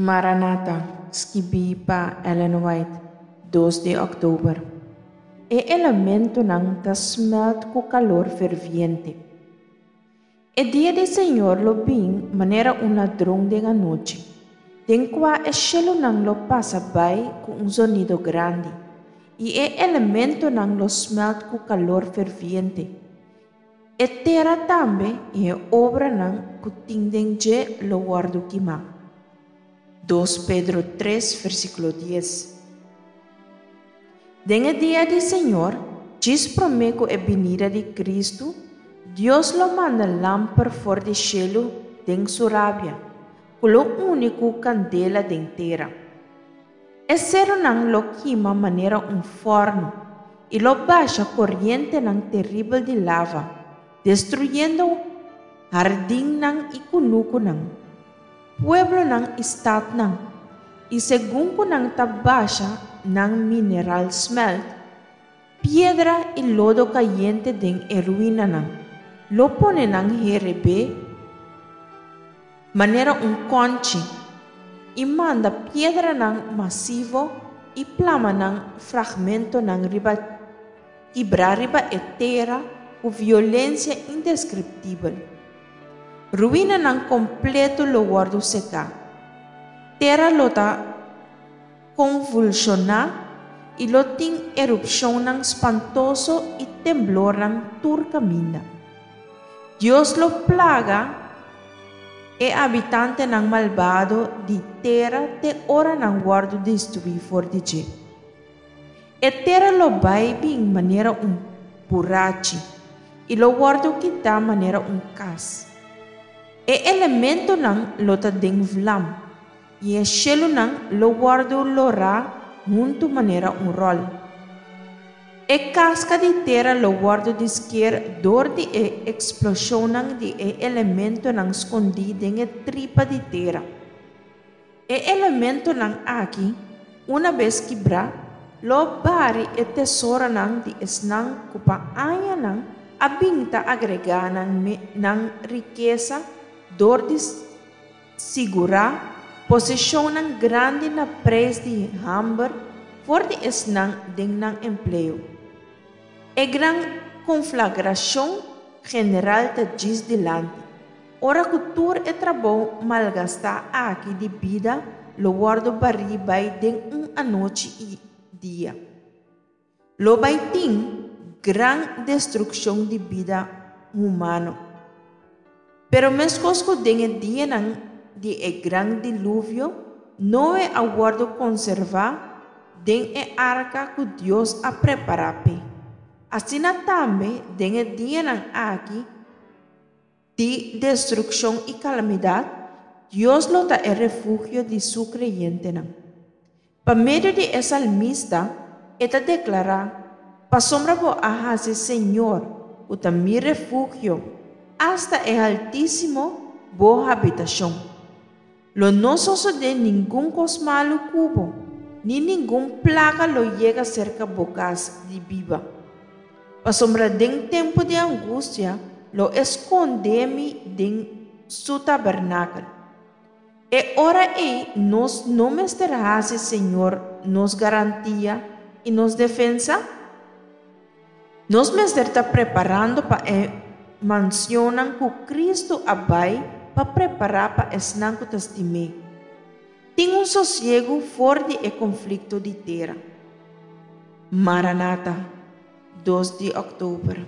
Maranata, skibí pa Ellen White, dos di òktober. E elementonan ta smèlt ku kalor ferviente. E dia di Señor lo bin manera un ladron den anochi, den kua e shelunan lo pasa bai ku un zonido grandi, i e elementonan lo smèlt ku kalor ferviente. E tera tambe i e obranan ku tin den dje lo wòrdu kimá. Dos Pedro tres, versíkulo dies. Den e dia di Señor, djis promé ku e binida di Kristu, Dios lo manda lamper for di shelu den su rabia, ku lo uni ku kandela den tera. E serunan lo kima manera un fòrnu i lo basha korientenan teribel di lava, destruyendo hardinnan i kunukunan, pueblonan i statnan, i segun ku nan ta basha nan mineral smèlt, piedra i lodo kayente den e ruinanan, lo pone nan herebé manera un kònchi, i manda piedranan masivo i plama nan fragmentonan riba kibrá riba e tera ku violensia indeskriptibel. Ruinanan kompleto lo wòrdu seká. Tera lo ta konvulshoná i lo tin erupshonnan spantoso i temblornan tur kaminda. Dios lo plaga e habitantenan malbado di tera te ora nan wòrdu destruí for di dje. E tera lo bai bin manera un burachi i lo wòrdu kitá manera un kas. E elementonan lo ta den vlam i e shelunan lo wòrdu lorá huntu manera un ròl. E kaska di tera lo wòrdu di sker dor di e eksploshonnan di e elementonan skondí den e tripa di tera. E elementonan aki, una bes kibrá, lo bari e tesoronan di esnan ku pa añanan a bin ta agregá nan nan rikesa dor di Sigurá posishonnan grandi na preis di hamber for di esnan den nan empleo. E gran konflagrashon general ta djis dilanti, ora ku tur e trabou malgastá aki di bida lo wòrdu barí bai den un anochi i dia. Lo bai tin gran destrukshon di bida humano. Pero meskos ku den e dianan di e gran diluvio, Noe a wòrdu konservá den e arka ku Dios a prepará p'e, asina tambe den e dianan aki di destrukshon i kalamidat, Dios lo ta e refugio di su kreyentenan. Pa medio di e salmista, e ta deklará, Pasobra bo a hasi Señor, ku ta mi refugio, asta e Haltísimo bo habitashon. Lo no sosodé ningun kos malu ku bo, ni ningun plaga lo yega serka bo kas di biba. Pasobra den tempu di angustia lo e skondé mi den su tabernakel. E ora ei nos no mester hasi Señor nos garantia i nos defensa? Nos mester ta preparando pa e mansionnan ku Kristu a bai pa prepará pa esnan ku ta stim'é. Tin un sosiegu for di e konflikto di tera. Maranata, dos di òktober.